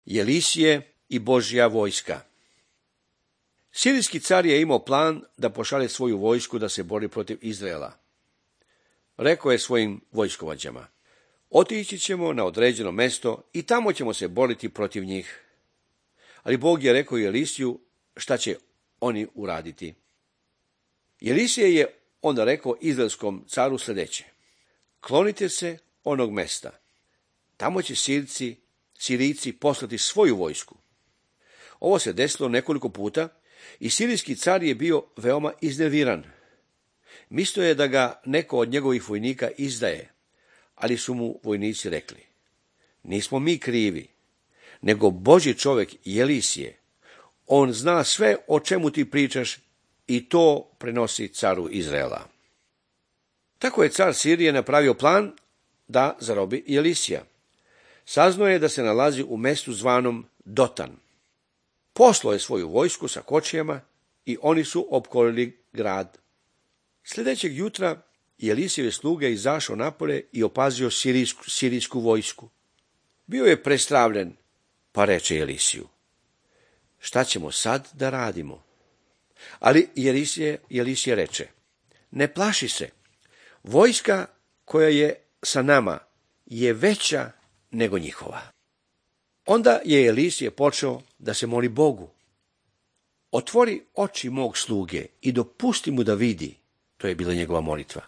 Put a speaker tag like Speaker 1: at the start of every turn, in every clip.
Speaker 1: Jelisije i Božja vojska. Sirijski car je imao plan da pošalje svoju vojsku da se bori protiv Izraela. Rekao je svojim vojskovođama: otići ćemo na određeno mesto i tamo ćemo se boriti protiv njih. Ali Bog je rekao Jelisiju šta će oni uraditi. Jelisije je onda rekao izraelskom caru sljedeće: klonite se onog mesta. Tamo će Sirijci poslati svoju vojsku. Ovo se desilo nekoliko puta i sirijski car je bio veoma iznerviran. Mislio je da ga neko od njegovih vojnika izdaje, ali su mu vojnici rekli: nismo mi krivi, nego Božji čovjek Jelisije. On zna sve o čemu ti pričaš i to prenosi caru Izraela. Tako je car Sirije napravio plan da zarobi Jelisija. Saznao je da se nalazi u mestu zvanom Dotan. Poslao je svoju vojsku sa kočijama i oni su opkolili grad. Sljedećeg jutra Jelisijeve sluge izašao napolje i opazio sirijsku vojsku. Bio je prestravljen, pa reče Jelisiju: šta ćemo sad da radimo? Ali Jelisije reče: ne plaši se, vojska koja je sa nama je veća nego njihova. Onda je Jelisije počeo da se moli Bogu: otvori oči mog sluge i dopusti mu da vidi. To je bila njegova molitva.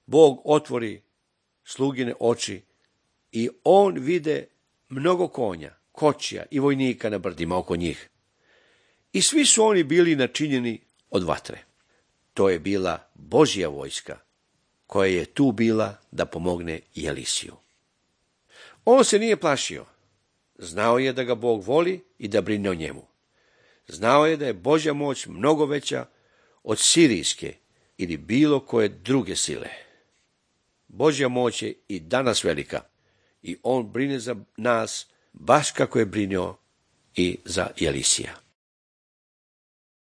Speaker 1: Bog otvori slugine oči i on vide mnogo konja, kočija i vojnika na brdima oko njih. I svi su oni bili načinjeni od vatre. To je bila Božja vojska koja je tu bila da pomogne Jelisiju. On se nije plašio. Znao je da ga Bog voli i da brine o njemu. Znao je da je Božja moć mnogo veća od sirijske ili bilo koje druge sile. Božja moć je i danas velika i on brine za nas baš kako je brinuo i za Jelisija.